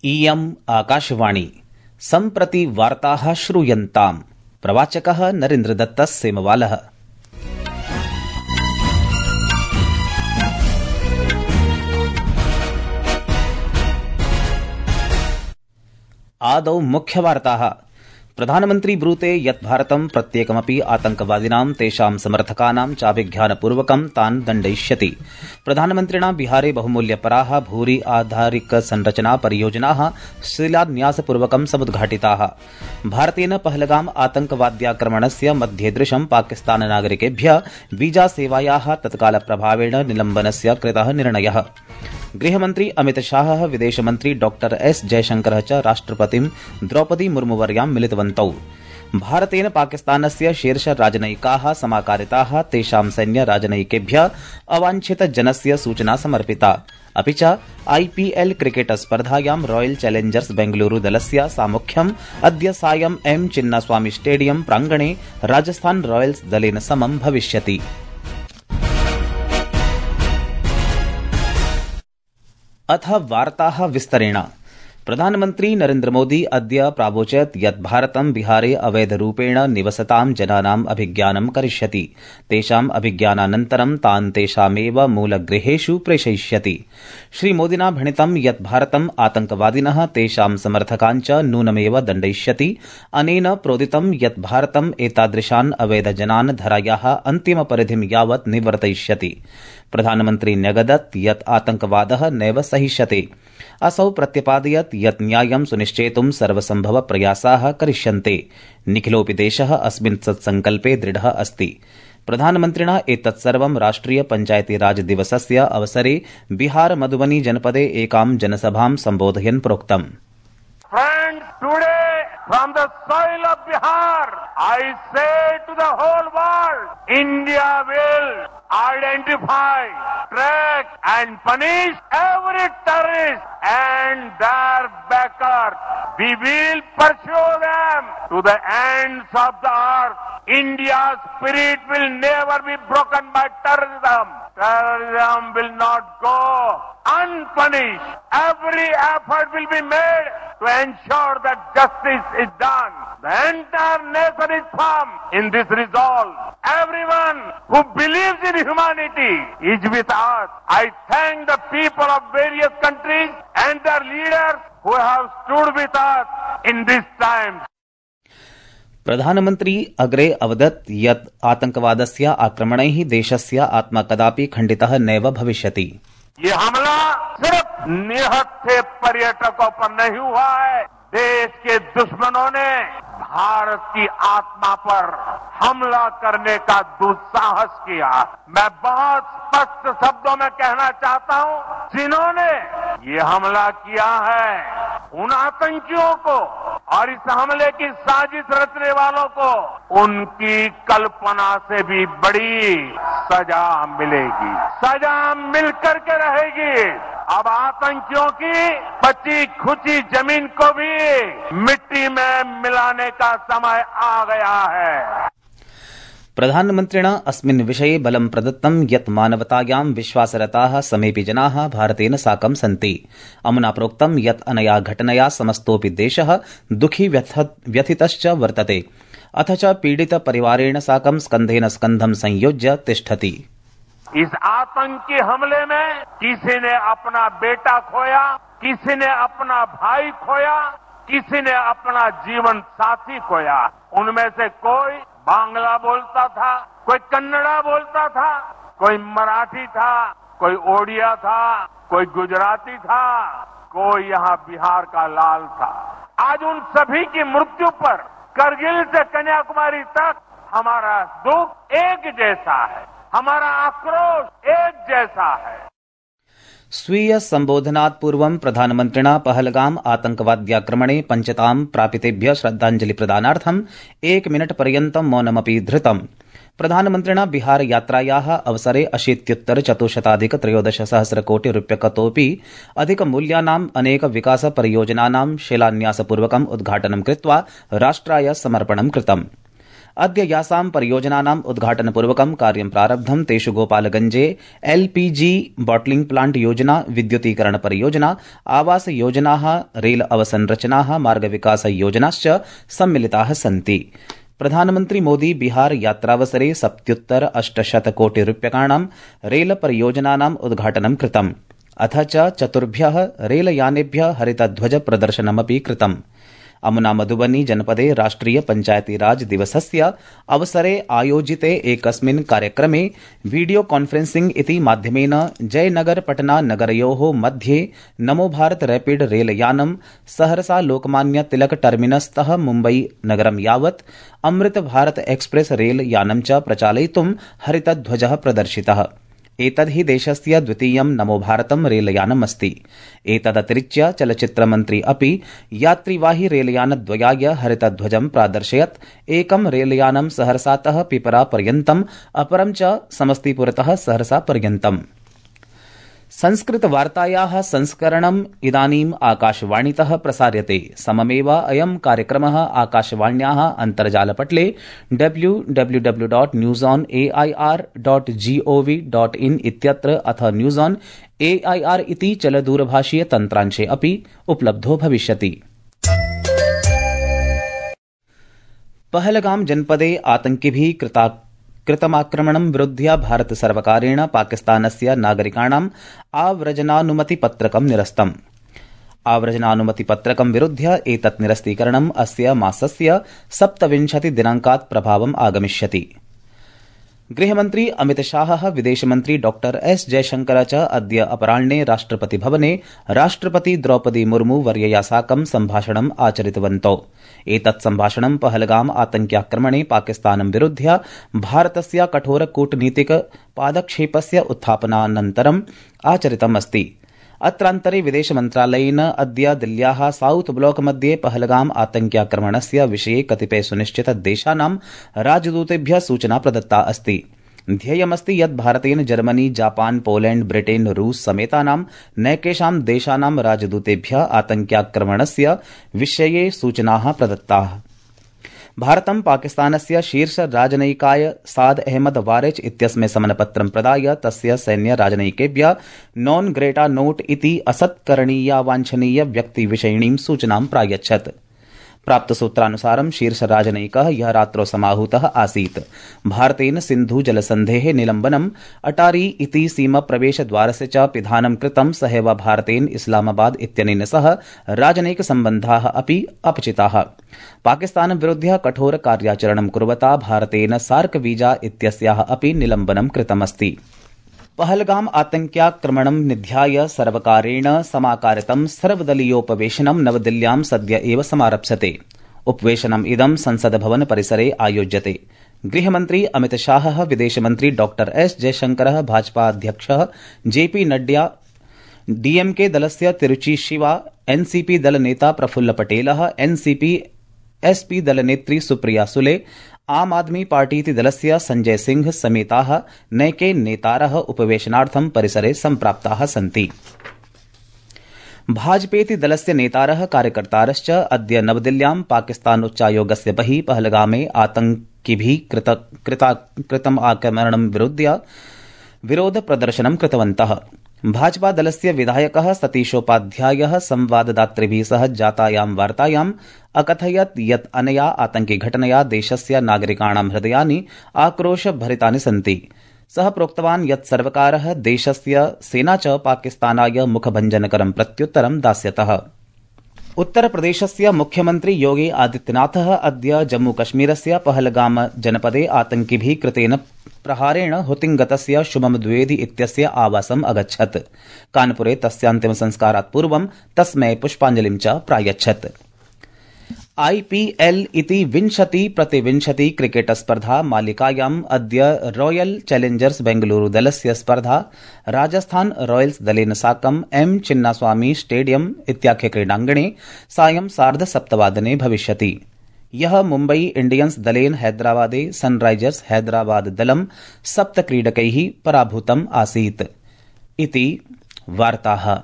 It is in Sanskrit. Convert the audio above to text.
इयम् आकाशवाणी सम्प्रति वार्ताः श्रूयन्ताम्। प्रवाचकः नरेन्द्रदत्तः सेमवालः। आदौ मुख्यवार्ताः। प्रधानमन्त्री ब्रूते यत् भारतं प्रत्येकमपि आतंकवादिनां तेषां समर्थकानां चाभिज्ञानपूर्वकं तान् दण्डयिष्यति। प्रधानमन्त्रिणा बिहारे बहुमूल्यपराः भूरि आधारिक संरचना परियोजनाः शिलान्यासपूर्वकं समुद्घाटिताः। भारतेन पहलगाम आतंकवाद्याक्रमणस्य मध्येदृशं पाकिस्ताननागरिकेभ्यः वीजा सेवायाः तत्कालप्रभावेण निलम्बनस्य कृतः निर्णयः। गृहमन्त्री अमितशाहः विदेशमन्त्री डॉ एस जयशंकरः च राष्ट्रपतिं द्रौपदी मुर्मुवर्यां मिलितवन्तौ। भारतेन पाकिस्तानस्य शीर्ष राजनयिकाः समाकारिताः, तेषां सैन्य राजनयिकेभ्यः अवाञ्छितजनस्य सूचना समर्पिता। अपि च आईपीएल क्रिकेट स्पर्धायां रॉयल चैलेंजर्स बेंगलुरू दलस्य सामुख्यम् अद्य सायं एम चिन्नास्वामी स्टेडियम प्रांगणे राजस्थान रॉयल्स दलेन समं भविष्यति। अथ वार्ताः विस्तरेण। प्रधानमन्त्री नरेन्द्र मोदी अद्य प्रावोचत् यत् भारतं बिहारे अवैधरूपेण निवसतां जनानाम् अभिज्ञानं करिष्यति। तेषाम् अभिज्ञानानन्तरं तान् तेषामेव मूलगृहेषु प्रेषयिष्यति। श्रीमोदिना भणितं यत् भारतं आतंकवादिनः तेषां समर्थकान् च नूनमेव दण्डयिष्यति। अनेन प्रोदितं यत् भारतं एतादृशान् अवैधजनान् धरायाः अन्तिमपरिधिं यावत् निवर्तयिष्यति। प्रधानमन्त्री न्यगदत् यत् आतंकवादः नैव सहिष्यते। असौ प्रत्यपादयत् यत् न्यायं सुनिश्चेतुं सर्वसम्भव प्रयासाः करिष्यन्ते। निखिलोऽपि देशः अस्मिन् सत्सङ्कल्पे दृढः अस्ति। प्रधानमन्त्रिणा एतत् सर्वं राष्ट्रिय पञ्चायती राज दिवसस्य अवसरे बिहार मधुबनी जनपदे एकां जनसभां सम्बोधयन् प्रोक्तम्। Friends, today from the soil of Bihar, I say to the whole world, India will identify, track and punish every terrorist and their backers. We will pursue them to the ends of the earth. India's spirit will never be broken by terrorism. Terrorism will not go unpunished. Every effort will be made to ensure that justice is done. The entire nation is firm in this resolve. Everyone who believes in humanity is with us. I thank the people of various countries and their leaders who have stood with us in this time. प्रधानमन्त्री अग्रे अवदत् यत् आतंकवादस्य आक्रमणैः देशस्य आत्मा कदापि खण्डितः नैव भविष्यति। ये हमला सिर्फ निहत्थे पर्यटकों पर नहीं हुआ है। देश के दुश्मनों ने भारत की आत्मा पर हमला करने का दुस्साहस किया। मैं बहुत स्पष्ट शब्दों में कहना चाहता हूं, जिन्होंने ये हमला किया है उन आतंकियों को और इस हमले की साजिश रचने वालों को उनकी कल्पना से भी बड़ी सजा मिलेगी। सजा मिलकर के रहेगी। अब आतंकियों की बची खुची जमीन को भी मिट्टी में मिलाने का समय आ गया है। प्रधानमन्त्रिणा अस्मिन् विषये बलं प्रदत्तं यत् मानवतायां विश्वासरताः समेऽपि जनाः भारतेन साकं सन्ति। अमुना प्रोक्तं यत् अनया घटनया समस्तोऽपि देशः दुःखी व्यथितश्च वर्तते, अथ च पीडित परिवारेण साकं स्कन्धेन स्कन्धं संयोज्य तिष्ठति। इस आतंकी हमले में किसी ने अपना बेटा खोया, किसी ने अपना भाई खोया, किसी ने अपना जीवन साथी खोया। उनमें से कोई बांग्ला बोलता था, कोई कन्नड़ा बोलता था, कोई मराठी था, कोई ओडिया था, कोई गुजराती था, कोई यहाँ बिहार का लाल था। आज उन सभी की मृत्यु पर करगिल से कन्याकुमारी तक हमारा दुख एक जैसा है, हमारा आक्रोश एक जैसा है। स्वीय संबोधनात् पूर्वं प्रधानमन्त्रिणा पहलगाम आतंकवाद्याक्रमणे पञ्चतां प्रापितेभ्यः श्रद्धाञ्जलि प्रदानार्थं 1 मिनिट पर्यन्तं मौनमपि धृतम्। प्रधानमन्त्रिणा बिहार यात्रायाः अवसरे 80,413 कोटि रूप्यकतोऽपि अधिकमूल्यानाम् अनेक विकास परियोजनानां शिलान्यासपूर्वकम् उद्घाटनं कृत्वा राष्ट्राय समर्पणं कृतम्। अद्य यासां परियोजनानाम् उद्घाटनपूर्वकं कार्यं प्रारब्धं। तेषु गोपालगंजे LPG बॉटलिंग प्लांट योजना, विद्युतीकरण परियोजना, आवास योजनाः, रेल अवसंरचनाः, मार्ग विकास योजनाश्च सम्मिलिताः सन्ति। प्रधानमन्त्री मोदी बिहार यात्रावसरे 70-800 कोटि रूप्यकाणां रेल परियोजनानाम् उद्घाटनं कृतम्। अथ च 4 रेलयानेभ्यः हरितध्वज प्रदर्शनमपि कृतम्। अमुना मधुबनी जनपदे राष्ट्रिय पंचायती राज दिवसस्य अवसरे आयोजिते एकस्मिन् कार्यक्रमे वीडियो कॉन्फ्रेंसिंग इति माध्यमेन जयनगर पटना नगरयोः मध्ये नमो भारत रैपिड रेलयानं सहरसा लोकमान्य तिलक टर्मिनस्तः मुम्बई नगरं यावत् अमृत भारत एक्सप्रेस रेलयानं च प्रचालयितुं हरितध्वजः प्रदर्शितः। एतद् हि देशस्य द्वितीयं नमो भारतं रेलयानमस्ति। एतदतिरिच्य चलच्चित्रमन्त्री अपि यात्रिवाही रेलयानद्वयाय हरितध्वजं प्रादर्शयत्। एकं रेलयानं सहरसातः पिपरा पर्यन्तम्, अपरं च समस्तीपुरतः सहरसा पर्यन्तम्। संस्कृतवार्तायाः संस्करणम् इदानीम् आकाशवाणीतः प्रसार्यते। सममेव अयं कार्यक्रमः आकाशवाण्याः अन्तर्जालपटले www.newsonair.gov.in इत्यत्र अथ न्यूज़ ऑन AIR इति चलदूरभाषीय तन्त्रांशे अपि उपलब्धो भविष्यति। पहलगाम जनपदे आतंकिभिः कृतमाक्रमणं विरुध्य भारत सर्वकारेण पाकिस्तानस्य नागरिकाणाम् आव्रजनानुमतिपत्रकं निरस्तम्। आव्रजनानुमतिपत्रकं विरुध्य एतत् निरस्तीकरणम् अस्य मासस्य 27 दिनाङ्कात् प्रभावम् आगमिष्यति। गृहमन्त्री अमितशाहः, विदेशमन्त्री डॉ एस जयशंकर च अद्य अपराह्ने राष्ट्रपतिभवने राष्ट्रपति द्रौपदी मुर्मू वर्यया साकं सम्भाषणम् आचरितवन्तौ। एतत् सम्भाषणं पहलगाम आतंक्याक्रमणे पाकिस्तानं विरुध्य भारतस्य कठोर कूटनीतिक पादक्षेपस्य उत्थापनानन्तरम् आचरितमस्ति। अत्रान्तरे विदेशमन्त्रालयेन अद्य दिल्ल्याः साउथ ब्लॉक मध्ये पहलगाम आतंक्याक्रमणस्य विषये कतिपय सुनिश्चित देशानां राजदूतेभ्यः सूचना प्रदत्ता अस्ति। ध्येयमस्ति यत् भारतेन जर्मनी, जापान, पोलैंड, ब्रिटेन, रूस समेतानां नैकेषां देशानां राजदूतेभ्यः आतंक्याक्रमणस्य विषये सूचनाः प्रदत्ताः। भारतं पाकिस्तानस्य शीर्ष राजनयिकाय साद अहमद वारेच इत्यस्मै समनपत्रं प्रदाय तस्य सैन्य राजनयिकेभ्यः नॉन ग्रेटा नोट इति असत्करणीया वाञ्छनीय व्यक्तिविषयिणीं सूचनां प्रायच्छत्। प्राप्तसूत्रानुसारं शीर्ष राजनयिकः ह्यः रात्रौ समाहूतः आसीत्। भारतेन सिन्धु जलसन्धेः निलम्बनम्, अटारी इति सीमाप्रवेशद्वारस्य च पिधानं कृतं। सहैव भारतेन इस्लामाबाद इत्यनेन सह राजनयिकसम्बन्धाः अपि अपचिताः। पाकिस्तानं विरुध्य कठोर कार्याचरणं कुर्वता भारतेन सार्क वीजा इत्यस्याः अपि निलम्बनं कृतमस्ति। पहलगाम आतंक्याक्रमणं निध्याय सर्वकारेण समाकारितं सर्वदलीयोपवेशनं नवदिल्ल्यां सद्य एव समारप्स्यते। उपवेशनम् इदं संसदभवन परिसरे आयोज्यते। गृहमन्त्री अमितशाहः, विदेशमन्त्री डॉ एस जयशंकरः, भाजपा अध्यक्षः JP नड्डा, DMK दलस्य तिरुचि शिवा, NCP दलनेता प्रफुल्ल पटेलः, NCP SP दलनेत्री सुप्रिया सुले, आम आदमी पार्टीति दलस्य संजय सिंह समेताः नैके नेतारः उपवेशनार्थं परिसरे सम्प्राप्ताः सन्ति। भाजपेति दलस्य नेतारः कार्यकर्तारश्च अद्य नवदिल्ल्यां पाकिस्तानोच्चायोगस्य बहिः पहलगामे आतंकिभिः कृतम् आक्रमणं विरुध्य विरोध प्रदर्शनं कृतवन्तः। भाजपा दलस्य विधायकः सतीशोपाध्यायः संवाददातृभिः सह जातायां वार्तायाम् अकथयत् यत् अनया आतंकि घटनया देशस्य नागरिकाणां हृदयानि आक्रोशभरितानि सन्ति। सः प्रोक्तवान् यत् सर्वकारः, देशस्य सेना च पाकिस्तानाय मुखभञ्जनकरं प्रत्युत्तरं दास्यतः। उत्तरप्रदेशस्य मुख्यमन्त्री योगी आदित्यनाथः अद्य जम्मूकश्मीरस्य पहलगाम जनपदे आतंकिभिः कृतेन प्रहारेण हुतिङ्गतस्य शुभम द्विवेदी इत्यस्य आवासम् अगच्छत्। कानपुरे तस्यान्तिमसंस्कारात् पूर्वं तस्मै पुष्पाञ्जलिं च प्रायच्छत्। IPL इति 20-20 क्रिकेट स्पर्धा मालिकायाम् अद्य रॉयल चैलेंजर्स बेंगलुरु दलस्य स्पर्धा राजस्थान रॉयल्स दलेन साकं M चिन्नास्वामी स्टेडियम इत्याख्ये क्रीडाङ्गणे सायं 7:30 भविष्यति। यः मुम्बई इंडियंस दलेन हैदराबादे सनराइजर्स हैदराबाद दलं 7 क्रीडकैः पराभूतम् आसीत्। इति वार्ताः।